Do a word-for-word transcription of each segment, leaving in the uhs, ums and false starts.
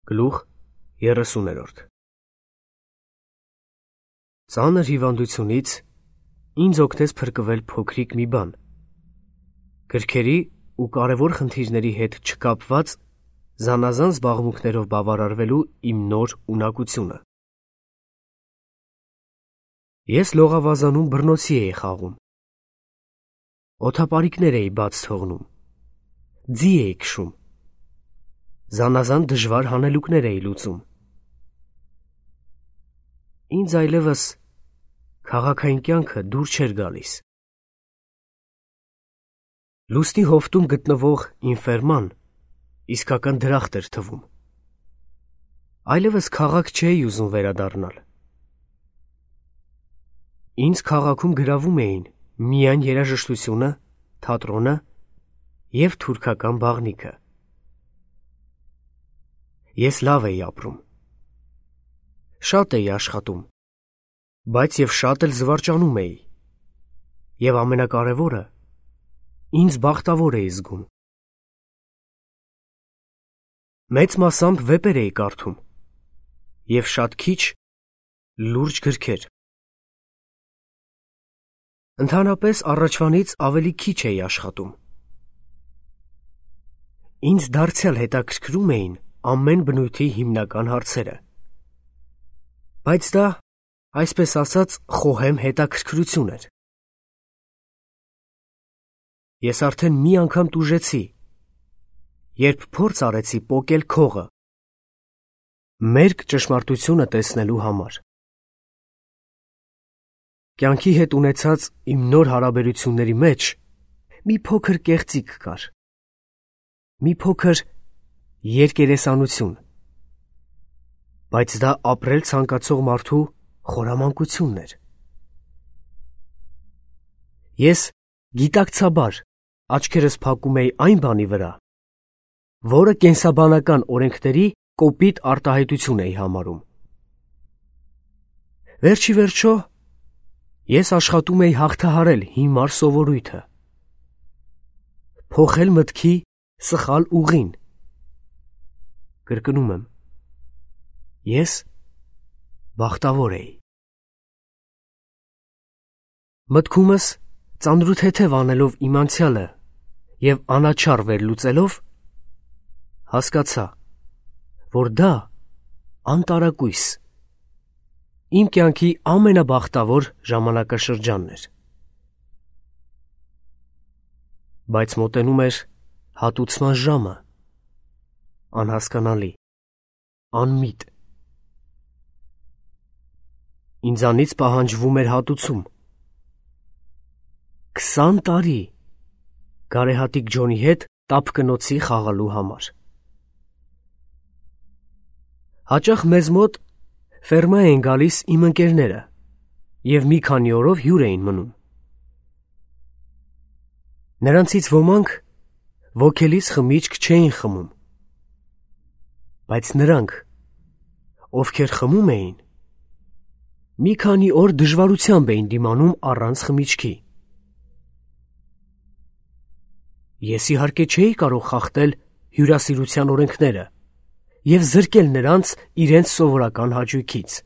Գլուխ երեսուներորդ Ծանր հիվանդությունից ինձ օգնեց փրկվել փոքրիկ մի բան, գրքերի ու կարևոր խնդիրների հետ չկապված զանազան զբաղմունքներով բավարարվելու իմ նոր ունակությունը։ Ես լողավազանում բռնոցի էի խաղում, օդապարիկներ էի բաց թողնում, ձի էի քշում, զանազան դժվար հանելուկներ էի լուծում։ Ինձ այլևս քաղաքային կյանքը դուր չէր գալիս։ Լուսնի հովտում գտնվող ինֆերման իսկական դրախտ էր թվում։ Այլևս քաղաք չէի ուզում վերադառնալ։ Ինձ քաղաքում գրավում էին միայն երաժշտությունը, թատրոնը և թուրքական բաղնիքը։ Ես լավ էի ապրում, շատ էի աշխատում, բայց և շատ էլ զվարճանում էի, և ամենակարևորը, ինձ բախտավոր էի զգում։ Մեծ մասամբ վեպեր էի կարդում և շատ քիչ լուրջ գրքեր։ Ընդհանրապես առաջվանից ավելի քիչ էի աշխատում։ Ինձ դարձյալ հետաքրքրում էին ամեն բնույթի հիմնական հարցերը, բայց դա, այսպես ասած, խոհեմ հետաքրքրություն էր։ Ես արդեն մի անգամ տուժեցի, երբ փորձ արեցի պոկել քողը, մերկ ճշմարտությունը տեսնելու համար։ Կյանքի հետ ունեցած իմ նոր հարաբերությունների մեջ մի փոքր կեղծիք կար, մի փոքր երկերեսանություն, բայց դա ապրել ցանկացող մարդու խորամանկությունն էր։ Ես գիտակցաբար աչքերս փակում էի այն բանի վրա, որը կենսաբանական օրենքների կոպիտ արտահայտություն էի համարում։ Վերջիվերջո, ես աշխատում էի հաղթահարել հիմար սովորույթը, փոխել մտքի սխալ ուղին։ Կրկնում եմ, ես բախտավոր էի։ Մտքումս ծանրութեթև անելով իմ անցյալը և անաչառ վերլուծելով, հասկացա, որ դա անտարակույս, իմ կյանքի ամենաբախտավոր ժամանակաշրջանն էր։ Բայց մոտենում էր հատուցման ժամը, անհասկանալի, անմիտ։ Ինձանից պահանջվում էր հատուցում։ Քսան տարի գարեհատիկ Ջոնի հետ տափկնոցի խաղալու համար։ Հաճախ մեզ մոտ ֆերմա էին գալիս իմ ընկերները և մի քանի օրով հյուր էին մնում։ Նրանցից ոմանք ոգելից խմիչք չէին խմում, բայց նրանք, ովքեր խմում էին, մի քանի օր դժվարությամբ էին դիմանում առանց խմիչքի։ Ես իհարկե չէի կարող խախտել հյուրասիրության օրենքները և զրկել նրանց իրենց սովորական հաճույքից։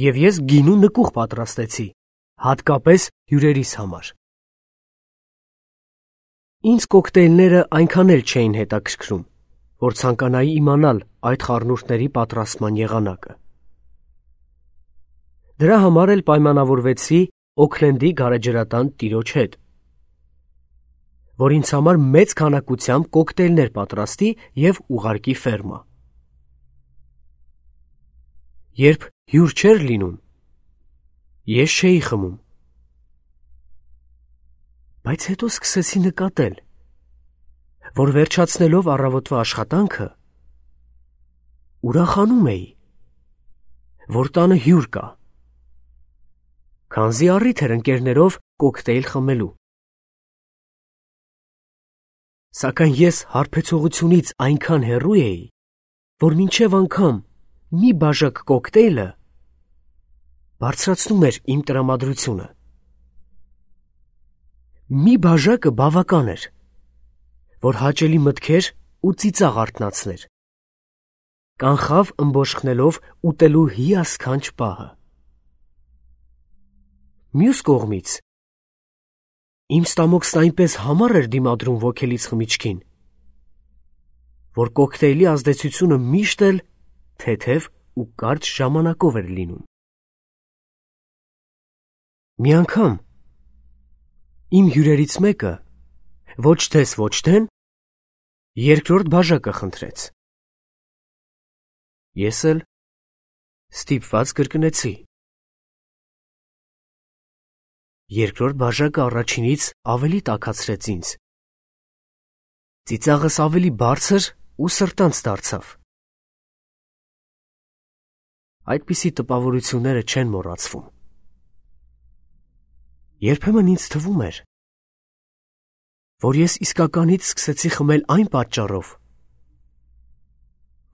Եվ ես գինու նկուղ պատրաստեցի, հատկապես հյուրերիս համար։ Ինձ կոկտեյլները այնքան էլ չէին հետաքրքրում, որ ցանկանայի իմանալ այդ խառնուրդների պատրաստման եղանակը։ Դրա համար էլ պայմանավորվեցի Օքլենդի գարեջրատան տիրոջ հետ, որ ինձ համար մեծ քանակությամբ կոկտեյլներ պատրաստի և ուղարկի ֆերմա։ Երբ հյուր չէր լինում, ես չէի խմում, բայց հետո սկսեցի նկատել, որ վերջացնելով առավոտվա աշխատանքը, ուրախանում էի, որ տանը հյուր կա, քանզի առիթ էր ընկերներով կոկտեյլ խմելու։ Սակայն ես հարբեցողությունից այնքան հեռու էի, որ մինչև անգամ մի բաժակ կոկտեյլը բարձրացնում էր իմ տրամադրությունը։ Մի բաժակը բավական էր, որ հաճելի մտքեր ու ծիծաղ արթնացներ։ Կանխավ ըմբոշխնելով ուտելու հիասքանչ պահը։ Մյուս կողմից իմ ստամոքսն այնպես համառ էր դիմադրում ոգելից խմիչքին, որ կոկտեյլի ազդեցությունը միշտ էլ թեթև ու կարճ ժամանակով էր լինում։ Մի անգամ իմ հյուրերից մեկը ոչ թես ոչ թեն երկրորդ բաժակը խնդրեց։ Ես էլ ստիպված կրկնեցի։ Երկրորդ բաժակը առաջինից ավելի տաքացրեց ինձ։ Ծիծաղս ավելի բարձր ու սրտանց դարձավ։ Այդպիսի տպավորությունները չեն մոռացվում։ Երբեմն ինձ թվում էր, որ ես իսկականից սկսեցի խմել այն պատճառով,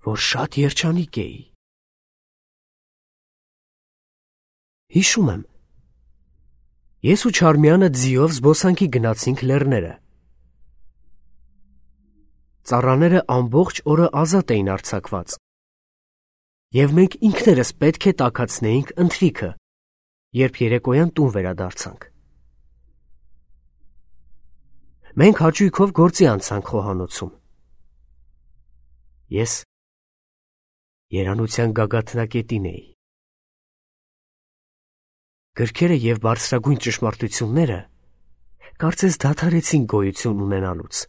որ շատ երջանիկ էի։ Հիշում եմ, ես ու Չարմյանը ձիով զբոսանքի գնացինք լեռները։ Ծառաները ամբողջ օրը ազատ էին արձակված, և մենք ինքներս պետք է տաքացնեինք ընթրիքը, երբ երեկոյան տուն վերադարձանք։ Մենք հաճույքով գործի անցանք խոհանոցում։ Ես երանության գագաթնակետին էի։ Գրքերը և բարձրագույն ճշմարտությունները կարծես դադարեցին գոյություն ունենալուց։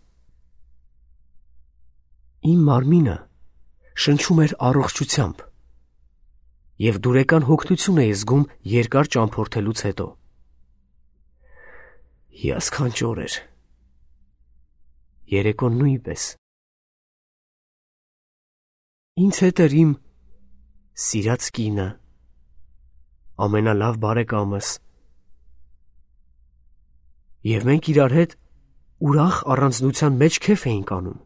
Իմ մարմինը շնչում էր առողջությամբ, և դուրեկան հոգնություն էի զգում երկար ճամփորդելուց հետո։ Հիասքանչ օր էր։ Երեկոն նույնպես։ Ինձ հետ էր իմ սիրած կինը, ամենալավ բարեկամս, և մենք իրար հետ ուրախ առանձնության մեջ քեֆ էինք անում։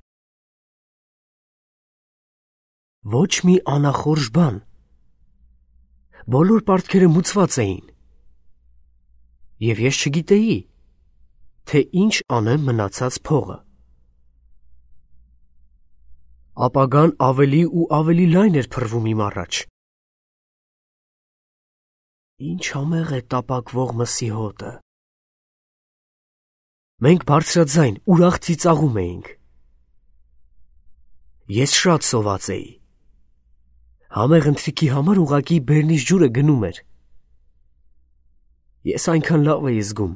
Ոչ մի անախորժ բան։ Բոլոր պարտքերը մուծված էին, և ես չգիտեի, թե ինչ անեմ մնացած փողը։ Ապագան ավելի ու ավելի լայն էր փռվում իմ առաջ։ Ինչ համեղ է տապակվող մսի հոտը։ Մենք բարձրաձայն ուրախ ծիծաղում էինք։ Ես շատ սոված էի։ Համեղ ընթրիքի համար ուղղակի բեռնից ջուրը գնում էր։ Ես այնքան լավ էի զգում,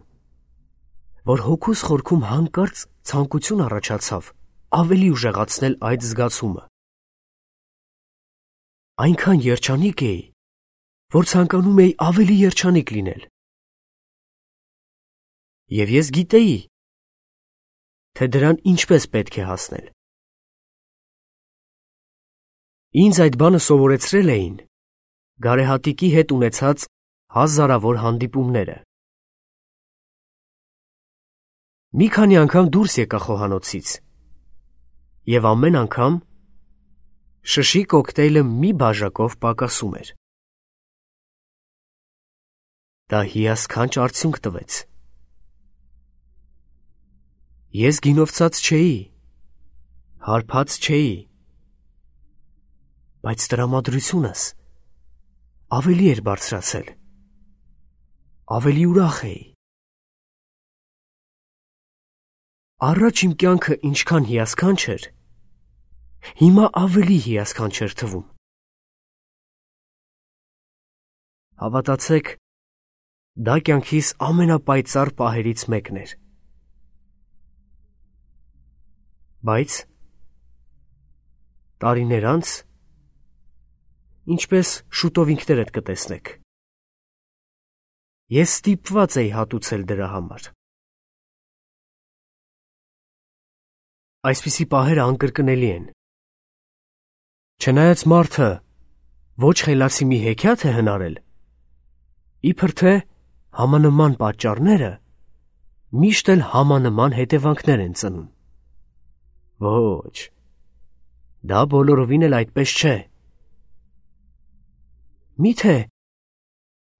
որ հոգուս խորքում հանկարծ ցանկություն առաջացավ ավելի ուժեղացնել այդ զգացումը։ Այնքան երջանիկ էի, որ ցանկանում էի ավելի երջանիկ լինել։ Եվ ես գիտեի, թե դրան ինչպես պետք է հասնել։ Ինձ այդ բանը սովորեցրել էին գարեհատիկի հետ ունեցած հազարավոր հանդիպումները։ Մի քանի անգամ դուրս եկա խոհանոցից, և ամեն անգամ շշի կոկտեյլը մի բաժակով պակասում էր։ Դա հիասքանչ արդյունք տվեց։ Ես գինովցած չէի, հարբած չէի, բայց տրամադրությունս ավելի էր բարձրացել, ավելի ուրախ էի։ Առաջ իմ կյանքը ինչքան հիասքանչ էր, հիմա ավելի հիասքանչ էր թվում։ Հավատացեք, դա կյանքիս ամենապայծառ պահերից մեկն էր։ Բայց տարիներ անց, ինչպես շուտով ինքներդ կտեսնեք, ես ստիպված էի հատուցել դրա համար։ Այսպիսի պահերը անկրկնելի են։ Չնայած մարդը ոչ խելացի մի հեքիաթ է հնարել, իբր թե համանման պատճառները միշտ էլ համանման հետևանքներ են ծնում։ Ոչ, դա բոլորովին էլ այդպես չէ։ Միթե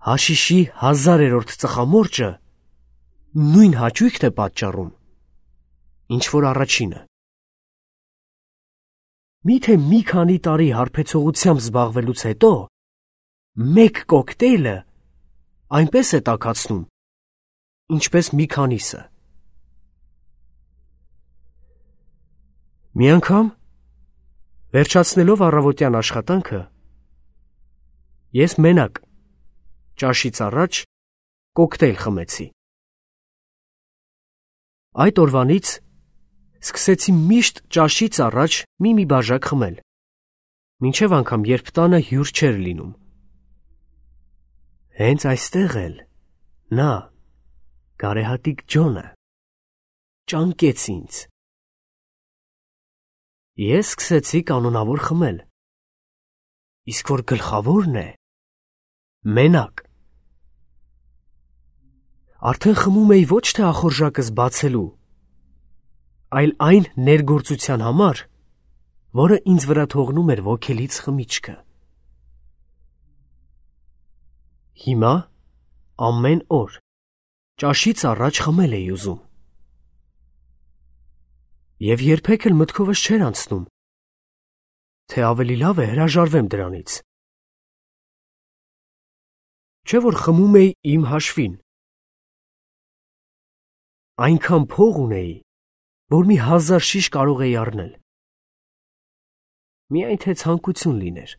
հաշիշի հազարերորդ ծխամորճը նույն հաճույքն է պատճառում, ինչ որ առաջինը։ Միթե մի քանի տարի հարբեցողությամբ զբաղվելուց հետո մեկ կոկտեյլը այնպես է տաքացնում, ինչպես մի քանիսը։ Մի անգամ, վերջացնելով առավոտյան աշխատանքը, ես մենակ ճաշից առաջ կոկտեյլ խմեցի։ Այդ օրվանից սկսեցի միշտ ճաշից առաջ մի-մի բաժակ խմել, մինչև անգամ երբ տանը հյուր չէր լինում։ Հենց այստեղ էլ նա, գարեհատիկ Ջոնը, ճանկեց ինձ։ Ես սկսեցի կանոնավոր խմել, իսկ որ գլխավորն է, մենակ։ Արդեն խմում էի ոչ թե ախորժակս բացելու, այլ այն ներգործության համար, որը ինձ վրա թողնում էր ոգելից խմիչքը։ Հիմա ամեն օր ճաշից առաջ խմել էի ուզում։ Եվ երբեք էլ մտքովս չէր անցնում, թե ավելի լավ է հրաժարվեմ դրանից։ Չէ որ խմում էի իմ հաշվին։ Այնքան փող ունեի, որ մի հազար շիշ կարող էի առնել։ Միայն թե ցանկություն լիներ։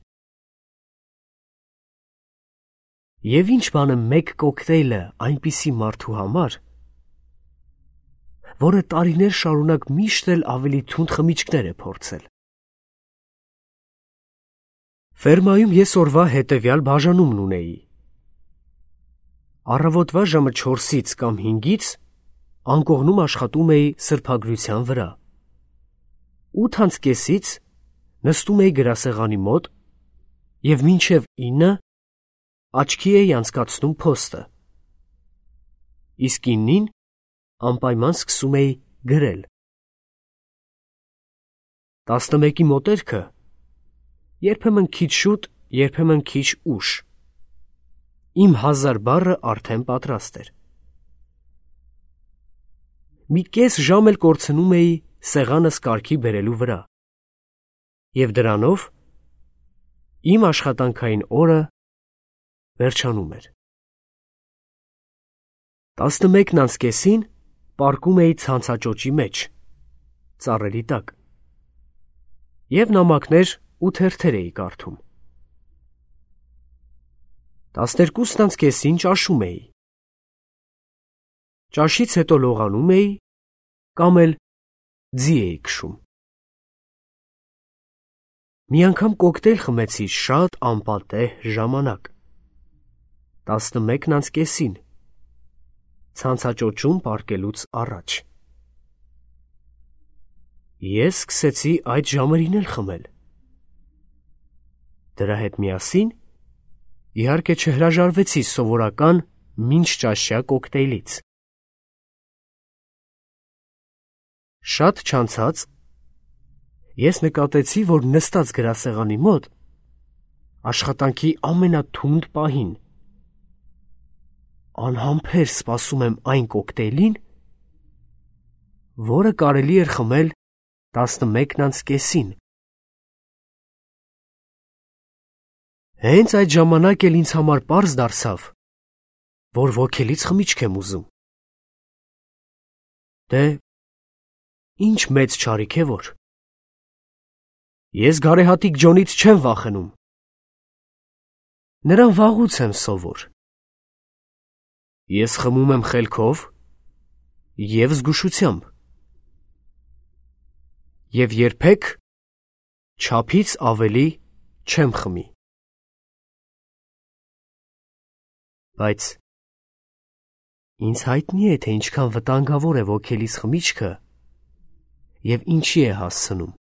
Եվ ինչ բան է մեկ կոկտեյլը այնպիսի մարդու համար, որը տարիներ շարունակ միշտ էլ ավելի թունդ խմիչքներ է փորձել։ Ֆերմայում ես օրվա հետևյալ բաժանումն ունեի։ Առավոտվա ժամը չորսից կամ հինգից անկողնում աշխատում էի սրբագրության վրա։ ութ անց կեսից նստում էի գրասեղանի մոտ և մինչև ինը աչքի էի անցկացնում փոստը։ Իսկ ինին անպայման սկսում էի գրել։ տասնմեկի մոտերքը երբեմն քիչ շուտ, երբեմն քիչ ուշ։ Իմ հազար բառը արդեն պատրաստ էր։ Մի կես ժամ էլ կորցնում էի սեղանս կարգի բերելու վրա։ Եվ դրանով իմ աշխատանքային օրը վերջանում էր։ տասնմեկն անց կեսին պառկում էի ցանցաճոճի մեջ, ծառերի տակ, և նամակներ ու թերթեր էի կարդում։ տասներկուսն անց կեսին ճաշում էի։ Ճաշից հետո լողանում էի կամ էլ ձի էի քշում։ Մի անգամ կոկտեյլ խմեցի շատ անպատեհ ժամանակ։ տասնմեկն անց կեսին, ցանցաճոճում պառկելուց առաջ։ Ես սկսեցի այդ ժամերին էլ խմել։ Դրա հետ միասին, իհարկե չհրաժարվեցի սովորական մինչճաշյա կոկտեյլից։ Շատ չանցած ես նկատեցի, որ նստած գրասեղանի մոտ աշխատանքի ամենաթունդ պահին անհամբեր սպասում եմ այն կոկտեյլին, որը կարելի էր խմել տասնմեկն անց կեսին։ Հենց այդ ժամանակ էլ ինձ համար պարզ դարձավ, որ ոգելից խմիչք եմ ուզում։ Դե, ինչ մեծ չարիք է որ։ Ես գարեհատիկ Ջոնից չեմ վախենում։ Նրան վաղուց եմ սովոր։ Ես խմում եմ խելքով և զգուշությամբ։ Եվ երբեք չափից ավելի չեմ խմի։ Բայց ինձ հայտնի է, թե ինչքան վտանգավոր է ոգելից խմիչքը և ինչի է հասցնում։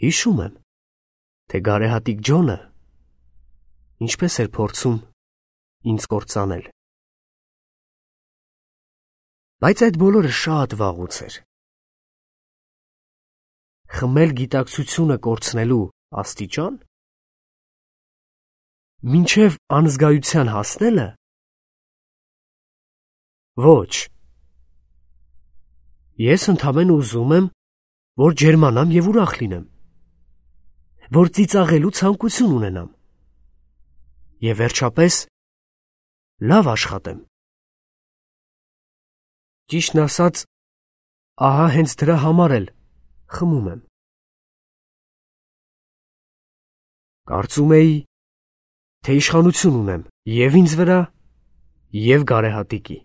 Հիշում եմ, թե գարեհատիկ Ջոնը ինչպես էր փորձում ինձ կործանել։ Բայց այդ բոլորը շատ վաղուց էր։ Խմել գիտակցությունը կորցնելու աստիճան, մինչև անզգայության հասնելը, ոչ։ Ես ընդամենը ուզում եմ որ ջերմանամ և ուրախ լինեմ, որ ծիծաղելու ցանկություն ունենամ և վերջապես լավ աշխատեմ։ Ճիշտն ասած, ահա հենց դրա համար էլ խմում եմ։ Կարծում էի, թե իշխանություն ունեմ և ինձ վրա, և գարեհատիկի։